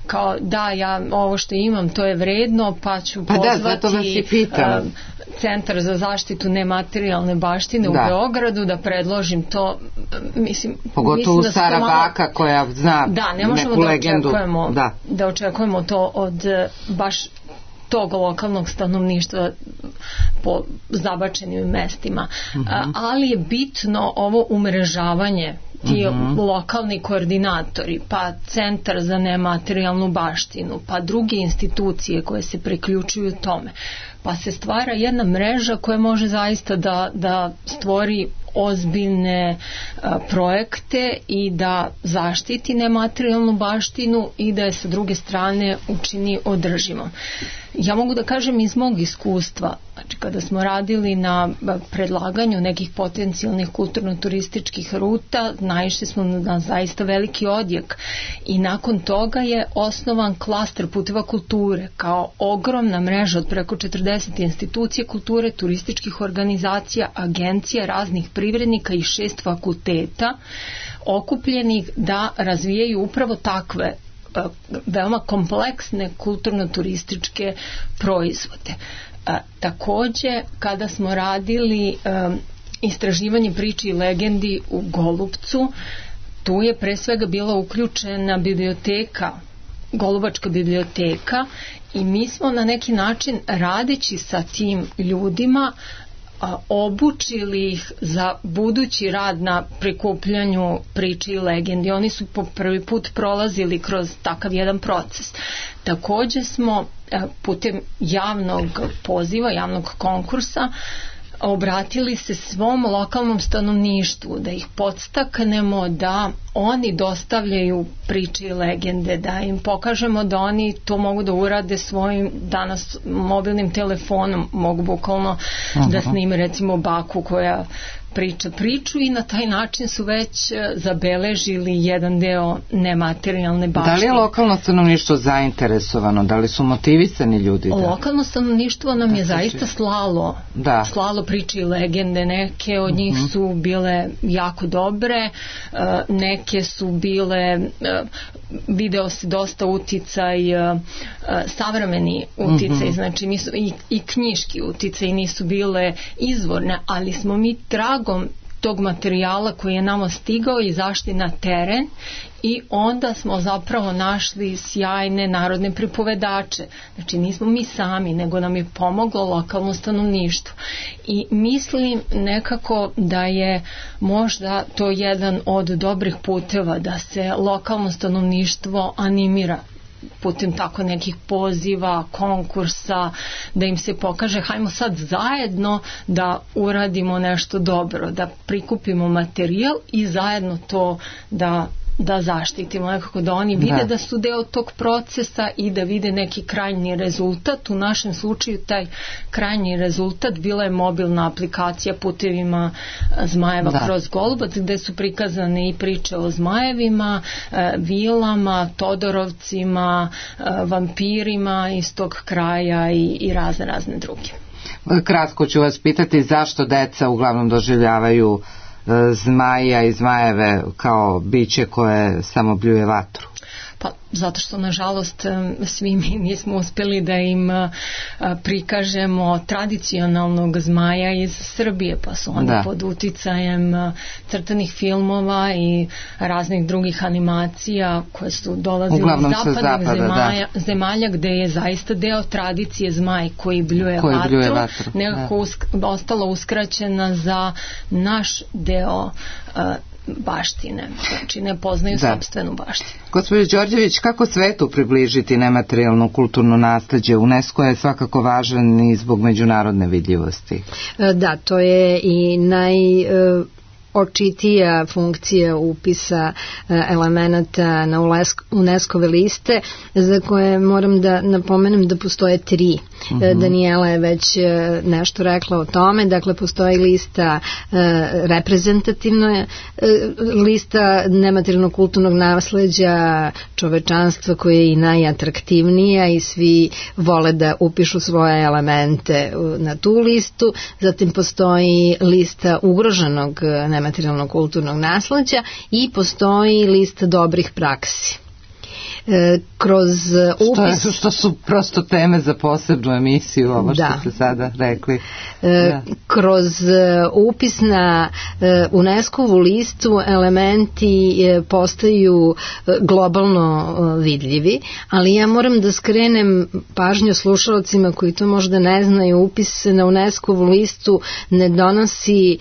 kao da ja ovo što imam to je vredno, pa ću pa pozvati da, uh, Centar za zaštitu nematerijalne baštine da. u Beogradu da predložim to, mislim, pogotovo mislim da Stara malo... baka koja zna da, ne možemo neku da legendu očekujemo, da. da očekujemo to od baš tog lokalnog stanovništva po zabačenim mestima. Uh-huh. Ali je bitno ovo umrežavanje, ti uh-huh. lokalni koordinatori, pa Centar za nematerijalnu baštinu, pa druge institucije koje se priključuju tome. Pa se stvara jedna mreža koja može zaista da, da stvori ozbiljne a, projekte i da zaštiti nematerijalnu baštinu i da je sa druge strane učini održivom. Ja mogu da kažem iz mog iskustva, znači kada smo radili na predlaganju nekih potencijalnih kulturno-turističkih ruta, naišli smo na zaista veliki odjek i nakon toga je osnovan klaster puteva kulture kao ogromna mreža od preko četrdeset institucija kulture, turističkih organizacija, agencija, raznih privrednika i šest fakulteta okupljenih da razvijaju upravo takve veoma kompleksne kulturno-turističke proizvode. A, takođe, kada smo radili a, istraživanje priče i legendi u Golubcu, tu je pre svega bila uključena biblioteka, Golubačka biblioteka, i mi smo na neki način radeći sa tim ljudima a, obučili ih za budući rad na prikupljanju priče i legendi. Oni su po prvi put prolazili kroz takav jedan proces. Takođe smo a, putem javnog poziva, javnog konkursa obratili se svom lokalnom stanovništvu, da ih podstaknemo da oni dostavljaju priče i legende, da im pokažemo da oni to mogu da urade svojim danas mobilnim telefonom, mogu bukvalno uh-huh. da snime recimo baku koja priča priču i na taj način su već zabeležili jedan deo nematerijalne baštine. Da li je lokalno stanovništvo zainteresovano? Da li su motivisani ljudi? Da? Lokalno stanovništvo nam je zaista slalo, da. slalo priče i legende. Neke od njih uh-huh. su bile jako dobre, neke su bile, video se dosta uticaj, savremeni uticaj, uh-huh. znači nisu, i, i knjiški uticaj, nisu bile izvorne, ali smo mi tragom tog materijala koji je nama stigao izašli na teren i onda smo zapravo našli sjajne narodne pripovedače. Znači nismo mi sami, nego nam je pomoglo lokalno stanovništvo. I mislim nekako da je možda to jedan od dobrih puteva da se lokalno stanovništvo animira putem tako nekih poziva, konkursa, da im se pokaže hajmo sad zajedno da uradimo nešto dobro, da prikupimo materijal i zajedno to da da zaštitimo, nekako da oni vide da. da su deo tog procesa i da vide neki krajnji rezultat. U našem slučaju taj krajnji rezultat bila je mobilna aplikacija Putevima zmajeva da. kroz Golubac, gde su prikazane i priče o zmajevima, vilama, Todorovcima, vampirima iz tog kraja i, i razne razne druge. Kratko ću vas pitati zašto deca uglavnom doživljavaju zmaja i zmajeve kao biće koje samo bljuje vatru? Pa zato što nažalost svi mi nismo uspjeli da im prikažemo tradicionalnog zmaja iz Srbije, pa su oni da. pod uticajem crtanih filmova i raznih drugih animacija koje su dolazile uglavnom iz zapadnih zapada, zemalja, da. zemalja gde je zaista deo tradicije zmaj koji bljuje koji vatru, bljuje vatru nekako usk, ostala uskraćena za naš deo uh, baštine, znači ne poznaju da. sopstvenu baštinu. Gospođo Đorđević, kako svetu približiti nematerijalno kulturno nasleđe? UNESCO je svakako važan i zbog međunarodne vidljivosti. Da, to je i naj... očitija funkcija upisa elemenata na UNESCO-ve liste, za koje moram da napomenem da postoje tri. Uh-huh. Daniela je već nešto rekla o tome, dakle postoji lista reprezentativna, lista nematerijalnog kulturnog nasleđa čovečanstva koja je i najatraktivnija i svi vole da upišu svoje elemente na tu listu. Zatim postoji lista ugroženog nematerijalnog materijalnog kulturnog nasleđa i postoji lista dobrih praksi. E, kroz upis... Što, je, što su prosto teme za posebnu emisiju, ovo što da. ste sada rekli. E, da. Kroz upis na e, UNESCO-vu listu elementi e, postaju globalno e, vidljivi, ali ja moram da skrenem pažnju slušalcima koji to možda ne znaju. Upis na UNESCO-vu listu ne donosi e,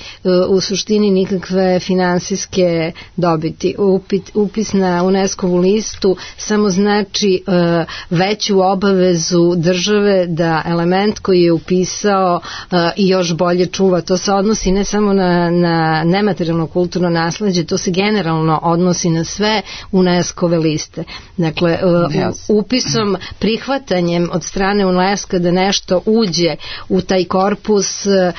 u suštini nikakve finansijske dobiti. Upit, upis na UNESCO-vu listu samo znači e, veću obavezu države da element koji je upisao e, i još bolje čuva. To se odnosi ne samo na, na nematerijalno kulturno nasleđe, to se generalno odnosi na sve UNESCO-ve liste. Dakle, e, yes. upisom, prihvatanjem od strane UNESCO da nešto uđe u taj korpus, e,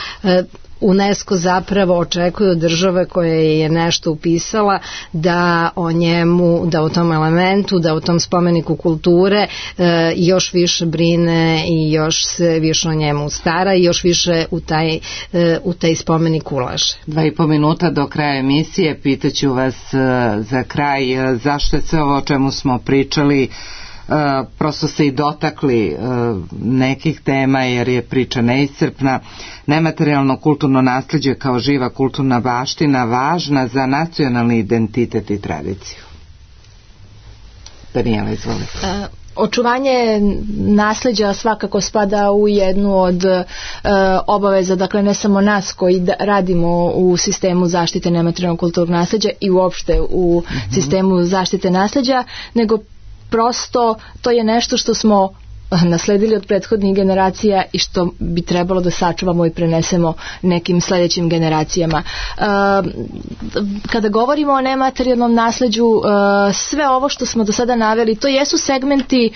UNESCO zapravo očekuje od države koja je nešto upisala da o njemu, da o tom elementu, da o tom spomeniku kulture e, još više brine i još se više o njemu stara i još više u taj, e, u taj spomenik ulaže. Dva i po minuta do kraja emisije, pitaću vas e, za kraj e, zašto je sve ovo o čemu smo pričali Uh, prosto se i dotakli uh, nekih tema jer je priča neiscrpna. Nematerijalno kulturno nasleđe kao živa kulturna baština važna za nacionalni identitet i tradiciju. Daniela, izvolite. Uh. Očuvanje nasleđa svakako spada u jednu od e, obaveza, dakle ne samo nas koji da, radimo u sistemu zaštite nematerijalnog kulturnog nasleđa i uopšte u mm-hmm. sistemu zaštite nasleđa, nego prosto to je nešto što smo nasledili od prethodnih generacija i što bi trebalo da sačuvamo i prenesemo nekim sledećim generacijama. Kada govorimo o nematerijalnom nasleđu, sve ovo što smo do sada naveli, to jesu segmenti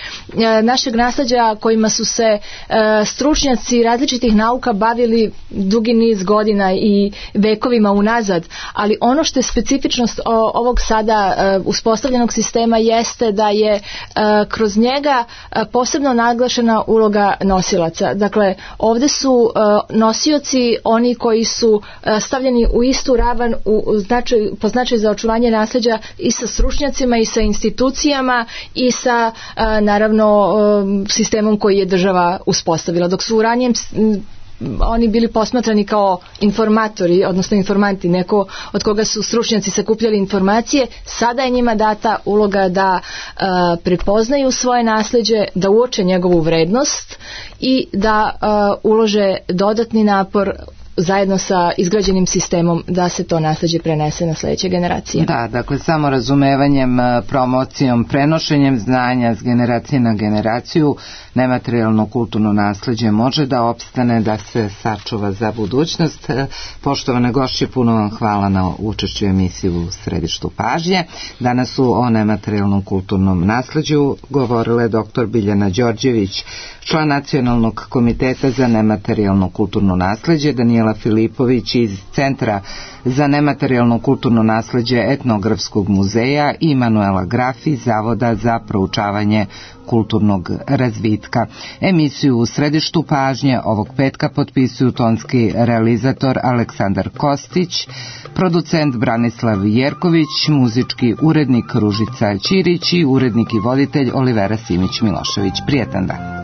našeg nasleđa kojima su se stručnjaci različitih nauka bavili dugi niz godina i vekovima unazad, ali ono što je specifičnost ovog sada uspostavljenog sistema jeste da je kroz njega posebno naglašena uloga nosilaca. Dakle, ovde su nosioci oni koji su stavljeni u istu ravan u značaj, po značaju za očuvanje nasleđa i sa stručnjacima i sa institucijama i sa naravno sistemom koji je država uspostavila. Dok su u ranijem oni bili posmatrani kao informatori, odnosno informanti, neko od koga su stručnjaci sakupljali informacije, sada je njima data uloga da uh, prepoznaju svoje nasleđe, da uoče njegovu vrednost i da uh, ulože dodatni napor zajedno sa izgrađenim sistemom da se to nasleđe prenese na sledeće generacije. Da, dakle samo razumevanjem, promocijom, prenošenjem znanja s generacije na generaciju nematerijalno kulturno nasleđe može da opstane, da se sačuva za budućnost. Poštovane gošće, puno vam hvala na učešću emisiji u Središtu pažnje. Danas su o nematerijalnom kulturnom nasleđu govorile doktor Biljana Đorđević, član Nacionalnog komiteta za nematerijalno kulturno nasleđe, Danijela Filipović iz Centra za nematerijalno kulturno nasleđe Etnografskog muzeja i Manuela Grafi, Zavoda za proučavanje kulturnog razvitka. Emisiju u Središtu pažnje ovog petka potpisuju tonski realizator Aleksandar Kostić, producent Branislav Jerković, muzički urednik Ružica Ćirić i urednik i voditelj Olivera Simić Milošević. Prijetan dan.